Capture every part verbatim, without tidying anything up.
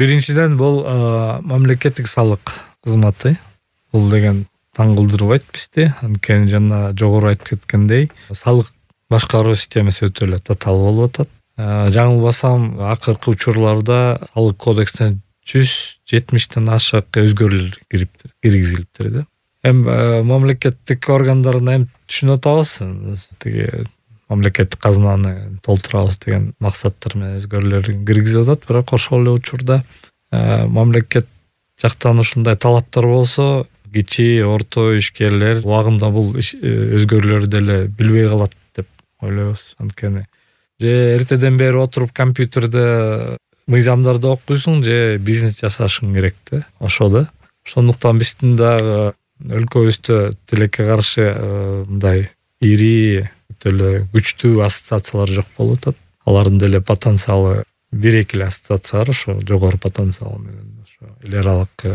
Биринчиден бул мамлекеттик салык кызматы. Бул деген таң кылдырбайт бизди. Анткени жана жогору айтып кеткендей, салык башкаруу системасы өтө эле татаал болуп атат. Жаңылбасам, акыркы учурларда салык кодексине жүз жетимиштен ашык өзгөрүүлөр киргизилиптир да. Эми мамлекеттик органдарына эми түшүнүп атабыз. Тиги мамлекеттик казынаны толтурабыз деген максаттар менен өзгөрүүлөр киргизип атат, бирок ошол эле учурда мамлекет жактан ушундай талаптар болсо, кичи, орто ишкерлер убагында бул өзгөрүүлөрдү деле билбей калат деп ойлойбуз. Анткени же эртеден бери отуруп компьютерде мыйзамдарды окуйсуң, же бизнес жасашың керек да. Ошо да. Ошондуктан биздин дагы өлкөбүздө тилекке каршы мындай ири, өтө эле күчтүү ассоциациялар жок болуп атат. Алардын деле потенциалы бир-эки эле ассоциация бар, ошо жогору потенциал менен ошо эл аралык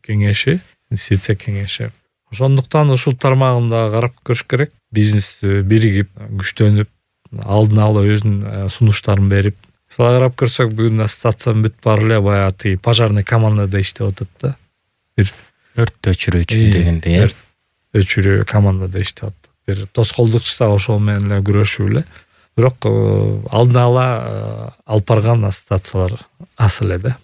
кеңеши, инвестиция кеңеши. Ошондуктан ушул тармагында карап көрүш керек. Бизнес биригип, күчтөнүп, алдын ала өзүнүн сунуштарын берип. Ошолга карап көрсөк, бүгүн ассоциациянын бүт баары эле баягы тиги пожарный командада иштеп атат да. Бир өрт өчүрүүчү дегендей, өрт өчүрүү командада иштеп атат. Бир тоскоолдук чыкса ошол менен эле күрөшүп эле. Бирок алдын ала алып барган ассоциациялар аз эле да.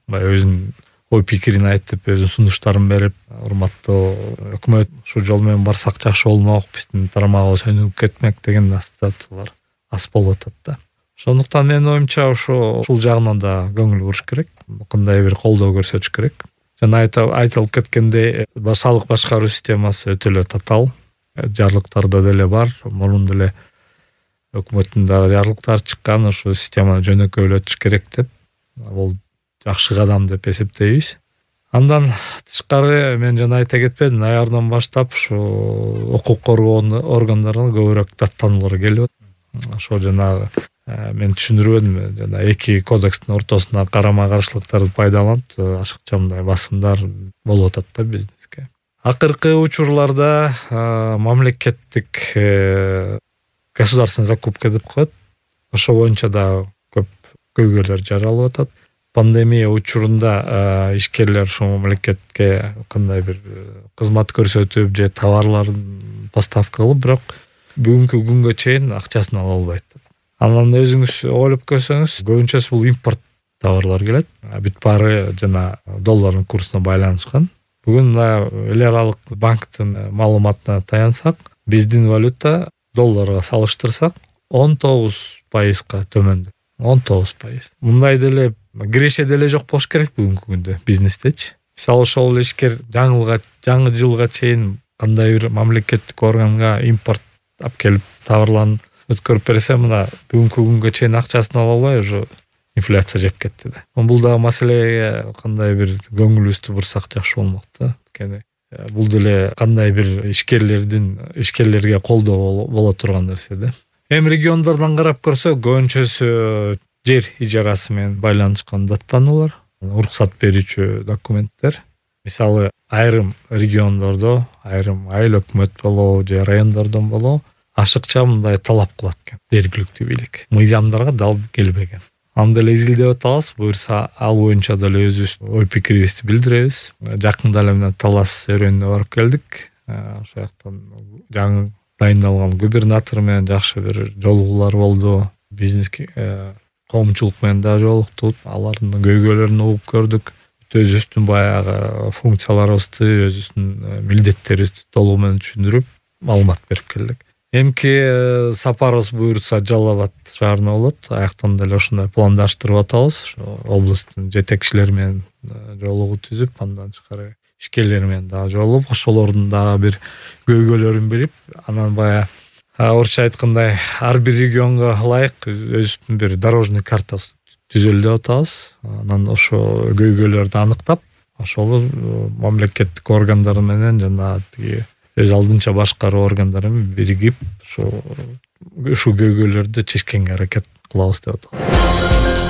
Баягы өзүнүн ой пикирин айтып, өзүнүн сунуштарын берип, урматтуу өкмөт, ушул жол менен барсак жакшы болмок, биздин тармагыбыз өнүгүп кетмек деген ассоциациялар аз болуп атат да. Ошондуктан менин оюмча ошо ушул жагынан да көңүл буруш керек, кандай бир колдоо көрсөтүш керек. Жана айтылып кеткендей, салык башкаруу системасы өтө эле татаал. Жарлыктарда деле бар, мурун деле өкмөттүн да жарлыктары чыккан, ошо системаны жөнөкөйлөтүш керек деп. Бул жакшы кадам деп эсептейбиз. Андан тышкары мен жана айта кетпедим, ноябрдан баштап ушу укук коргоо органдарына көбүрөөк даттануулар келип атат. Ошо жанагы мен түшүндүрбөдүм, жана эки кодекстин ортосуна карама-каршылыктарды пайдаланып, ашыкча мындай басымдар болуп атат да бизнеске. Акыркы учурларда мамлекеттик государственный закупка деп коет. Ошо боюнча да көп көйгөйлөр жаралып атат. Пандемия учурунда ишкерлер ошо мамлекетке кандай бир кызмат көрсөтүп же товарларын поставка кылып, бирок бүгүнкү күнгө чейин акчасын ала албайт. Анан өзүңүз ойлоп көрсөңүз, көбүнчөсү бул импорт товарлар келет. Бүт баары жана доллардын курсуна байланышкан. Бүгүн эл аралык банктын маалыматына таянсак, биздин валюта долларга салыштырсак он тогуз пайызга төмөндү. он тогуз пайыз. Мындай деле киреше деле жок болуш керек бүгүнкү күндө бизнестечи. Мисалы ошол ишкер жаңылга, жаңы жылга чейин кандай бир мамлекеттик органга импорт алып келип товарларын өткөрүп берсе, мына бүгүнкү күнгө чейин акчасын ала албай уже инфляция жеп кетти да. Бул да маселеге кандай бир көңүлүбүздү бурсак жакшы болмок да. Анткени бул деле кандай бир ишкерлердин ишкерлерге колдоо боло турган нерсе да. Эми региондордон карап көрсөк, көбүнчөсү жер ижарасы менен байланышкан даттануулар, уруксат берүүчү документтер. Мисалы, айрым региондордо, айрым айыл өкмөт болобу же райондордон болобу ашыкча мындай талап кылат экен жергиликтүү бийлик. Мыйзамдарга дал келбеген. Аны деле изилдеп атабыз, буюрса ал боюнча деле өзүбүз ой пикирибизди билдиребиз. Жакында эле менен Талас өрөөнүнө барып келдик. Ошол жактан жаңы дайындалган губернатор менен жакшы бир жолугуулар болду. Бизнес коомчулук менен да жолуктук. Алардын көйгөйлөрүн угуп көрдүк. Өзүбүздүн баягы функцияларыбызды, өзүбүздүн милдеттерибизди толугу менен түшүндүрүп, маалымат берип келдик. Эмки сапарыбыз буюрса Жалал Абад шаарына болот. Аяктан деле ошондой пландаштырып атабыз. Областтын жетекчилери менен жолугуу түзүп, андан тышкары ишкерлер менен дагы жолугуп, ошолордун дагы бир көйгөйлөрүн билип, анан баягы орусча айткандай ар бир регионго ылайык өзүбүздүн бир дорожный картасы түзөлү деп атабыз. Анан ошо көйгөйлөрдү аныктап, ошол мамлекеттик органдар менен жана тиги өз алдынча башкаруу органдары менен биригип, ошо ушул көйгөйлөрдү чечкенге аракет кылабыз деп атам.